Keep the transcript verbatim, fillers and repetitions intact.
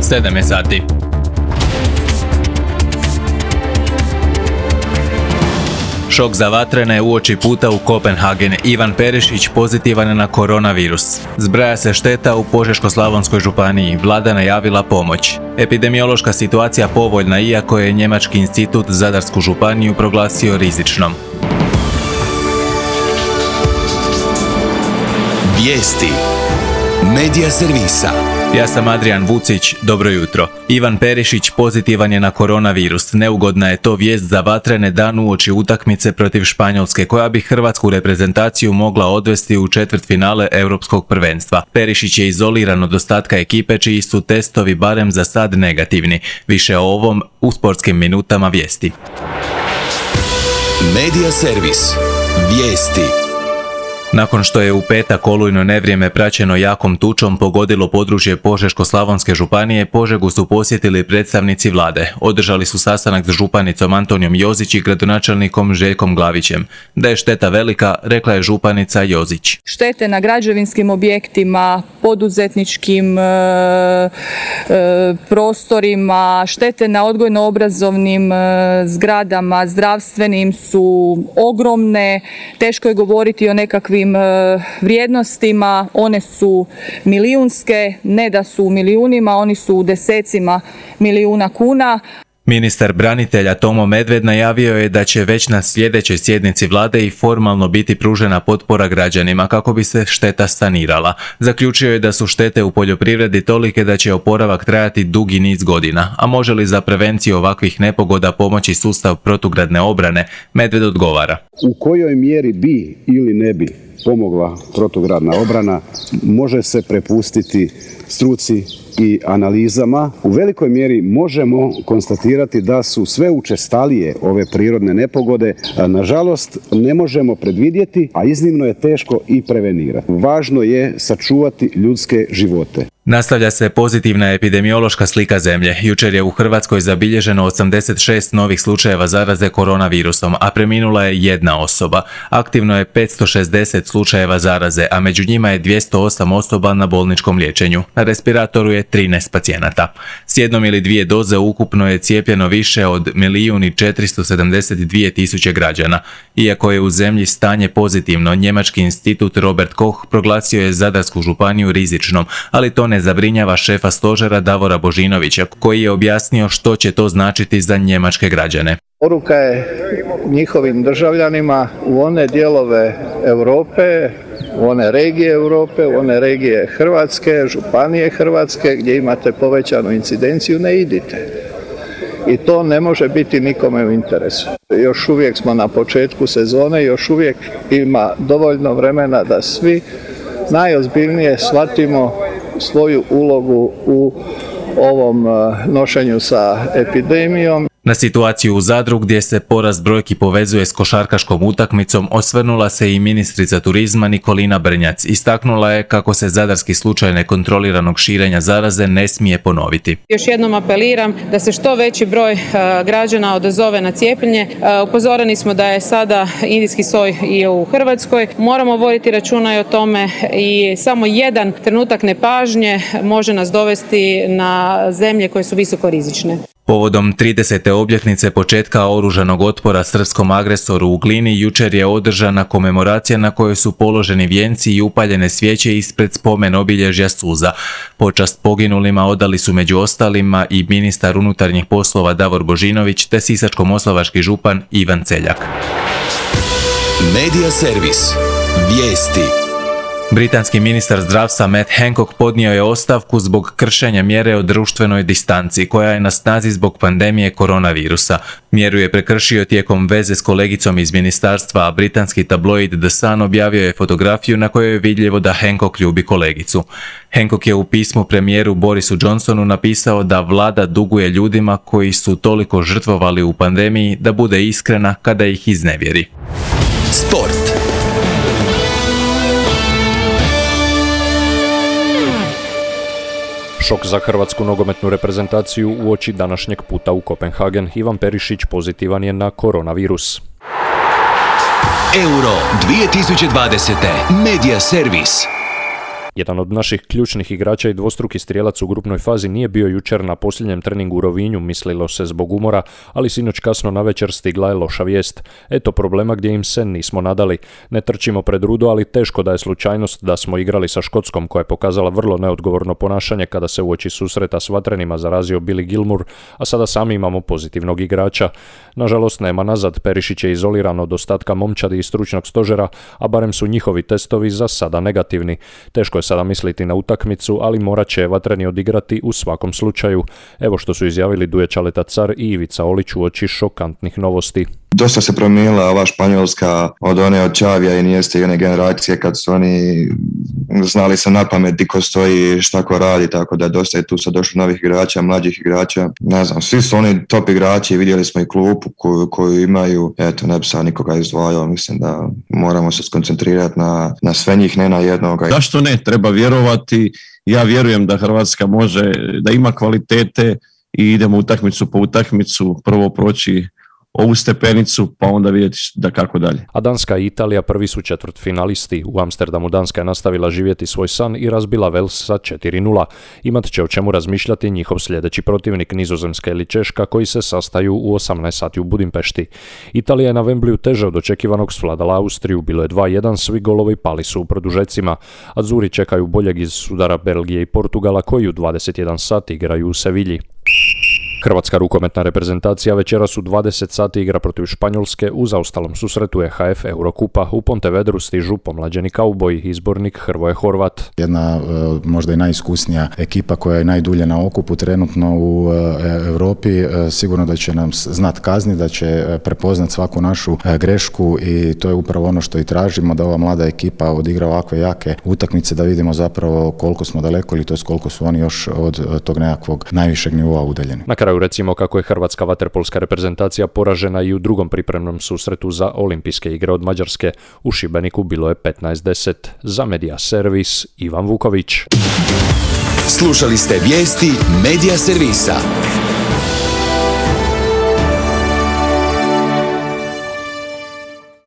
sedam je sati. Šok za vatrene uoči puta u Kopenhagen. Ivan Perišić pozitivan je na koronavirus. Zbraja se šteta u Požeško-slavonskoj županiji. Vlada najavila pomoć. Epidemiološka situacija povoljna, iako je Njemački institut Zadarsku županiju proglasio rizičnom. Vijesti Medija servisa. Ja sam Adrian Vucić, dobro jutro. Ivan Perišić pozitivan je na koronavirus. Neugodna je to vijest za vatrene dan uoči utakmice protiv Španjolske, koja bi hrvatsku reprezentaciju mogla odvesti u četvrtfinale europskog prvenstva. Perišić je izoliran od ostatka ekipe, čiji su testovi barem za sad negativni. Više o ovom u sportskim minutama vijesti. Medija servis. Vijesti. Nakon što je u petak olujno nevrijeme praćeno jakom tučom pogodilo područje Požeško-slavonske županije, Požegu su posjetili predstavnici vlade. Održali su sastanak s županicom Antonijom Jozić i gradonačelnikom Željkom Glavićem. Da je šteta velika, rekla je županica Jozić. Štete na građevinskim objektima, poduzetničkim e, e, prostorima, štete na odgojno-obrazovnim e, zgradama, zdravstvenim su ogromne. Teško je govoriti o nekakvim vrijednostima, one su milijunske, ne da su u milijunima, oni su u desecima milijuna kuna. Ministar branitelja Tomo Medved najavio je da će već na sljedećoj sjednici vlade i formalno biti pružena potpora građanima kako bi se šteta sanirala. Zaključio je da su štete u poljoprivredi tolike da će oporavak trajati dugi niz godina, a može li za prevenciju ovakvih nepogoda pomoći sustav protugradne obrane, Medved odgovara. U kojoj mjeri bi ili ne bi pomogla protugradna obrana može se prepustiti struci i analizama. U velikoj mjeri možemo konstatirati da su sve učestalije ove prirodne nepogode. Nažalost, ne možemo predvidjeti, a iznimno je teško i prevenirati. Važno je sačuvati ljudske živote. Nastavlja se pozitivna epidemiološka slika zemlje. Jučer je u Hrvatskoj zabilježeno osamdeset šest novih slučajeva zaraze koronavirusom, a preminula je jedna osoba. Aktivno je petsto šezdeset slučajeva zaraze, a među njima je dvjesto osam osoba na bolničkom liječenju. Na respiratoru je trinaest pacijenata. S jednom ili dvije doze ukupno je cijepljeno više od milijun i četiristo sedamdeset dvije tisuće građana. Iako je u zemlji stanje pozitivno, Njemački institut Robert Koch proglasio je Zadarsku županiju rizičnom, ali to ne zabrinjava šefa stožera Davora Božinovića, koji je objasnio što će to značiti za njemačke građane. Poruka je njihovim državljanima u one dijelove Europe, u one regije Europe, u one regije Hrvatske, županije Hrvatske gdje imate povećanu incidenciju, ne idite. I to ne može biti nikome u interesu. Još uvijek smo na početku sezone, još uvijek ima dovoljno vremena da svi najozbiljnije shvatimo svoju ulogu u ovom nošenju sa epidemijom. Na situaciju u Zadru, gdje se porast brojki povezuje s košarkaškom utakmicom, osvrnula se i ministrica turizma Nikolina Brnjac. Istaknula je kako se zadarski slučaj nekontroliranog širenja zaraze ne smije ponoviti. Još jednom apeliram da se što veći broj građana odazove na cijepljenje. Upozoreni smo da je sada indijski soj i u Hrvatskoj. Moramo voditi računa i o tome i samo jedan trenutak nepažnje može nas dovesti na zemlje koje su visoko rizične. Povodom tridesete obljetnice početka oružanog otpora srpskom agresoru u Glini, jučer je održana komemoracija na kojoj su položeni vijenci i upaljene svijeće ispred spomen obilježja suza. Počast poginulima odali su među ostalima i ministar unutarnjih poslova Davor Božinović te sisačko-moslavački župan Ivan Celjak. Medija servis. Vijesti. Britanski ministar zdravstva Matt Hancock podnio je ostavku zbog kršenja mjere o društvenoj distanci, koja je na snazi zbog pandemije koronavirusa. Mjeru je prekršio tijekom veze s kolegicom iz ministarstva, a britanski tabloid The Sun objavio je fotografiju na kojoj je vidljivo da Hancock ljubi kolegicu. Hancock je u pismu premijeru Borisu Johnsonu napisao da vlada duguje ljudima koji su toliko žrtvovali u pandemiji da bude iskrena kada ih iznevjeri. Sport. Šok za hrvatsku nogometnu reprezentaciju uoči današnjeg puta u Kopenhagen. Ivan Perišić pozitivan je na koronavirus. Euro dvije tisuće dvadesete. Medija servis. Jedan od naših ključnih igrača i dvostruki strijelac u grupnoj fazi nije bio jučer na posljednjem treningu u Rovinju, mislilo se zbog umora, ali sinoć kasno navečer stigla je loša vijest. Eto problema gdje im se nismo nadali. Ne trčimo pred rudo, ali teško da je slučajnost da smo igrali sa Škotskom, koja je pokazala vrlo neodgovorno ponašanje kada se uoči susreta s vatrenima zarazio Billy Gilmour, a sada sami imamo pozitivnog igrača. Nažalost, nema nazad, Perišić je izoliran od ostatka momčadi i stručnog stožera, a barem su njihovi testovi za sada negativni. Teško je sada misliti na utakmicu, ali morat će vatreni odigrati u svakom slučaju. Evo što su izjavili Duje Čaleta Car i Ivica Olić uoči šokantnih novosti. Dosta se promijenila ova Španjolska od one od Čavija i Inieste i one generacije kad su oni znali se na pamet di ko stoji, šta ko radi, tako da dosta je tu sad došlo novih igrača, mlađih igrača. Ne znam, svi su oni top igrači, vidjeli smo i klupu koju, koju imaju. Eto, ne bi sad nikoga izdvajao, mislim da moramo se skoncentrirati na, na sve njih, ne na jednoga. Zašto ne? Treba vjerovati. Ja vjerujem da Hrvatska može, da ima kvalitete i idemo utakmicu po utakmicu, prvo proći ovu stepenicu, pa onda vidjeti da kako dalje. A Danska i Italija prvi su četvrtfinalisti. U Amsterdamu Danska je nastavila živjeti svoj san i razbila Vels sa četiri nula. Imat će o čemu razmišljati njihov sljedeći protivnik, Nizozemska ili Češka, koji se sastaju u osamnaest sati u Budimpešti. Italija je na Wembleyu teže od očekivanog svladala Austriju, bilo je dva jedan, svi golovi pali su u produžecima. Azuri čekaju boljeg iz sudara Belgije i Portugala, koji u dvadeset jedan sati igraju u Sevilji. Hrvatska rukometna reprezentacija večeras u dvadeset sati igra protiv Španjolske u zaostalom susretu E H F Eurokupa. U Pontevedru stižu pomlađeni kauboji, izbornik Hrvoje Horvat. Jedna možda i najiskusnija ekipa koja je najdulje na okupu trenutno u Europi, sigurno da će nam znat kazni, da će prepoznat svaku našu grešku i to je upravo ono što i tražimo, da ova mlada ekipa odigra ovakve jake utakmice, da vidimo zapravo koliko smo daleko ili to je koliko su oni još od tog nekakvog najvišeg nivoa udaljeni. Na kraju recimo kako je hrvatska vaterpolska reprezentacija poražena i u drugom pripremnom susretu za olimpijske igre od Mađarske. U Šibeniku bilo je petnaest deset. Za Media Servis Ivan Vuković. Slušali ste vijesti Media Servisa.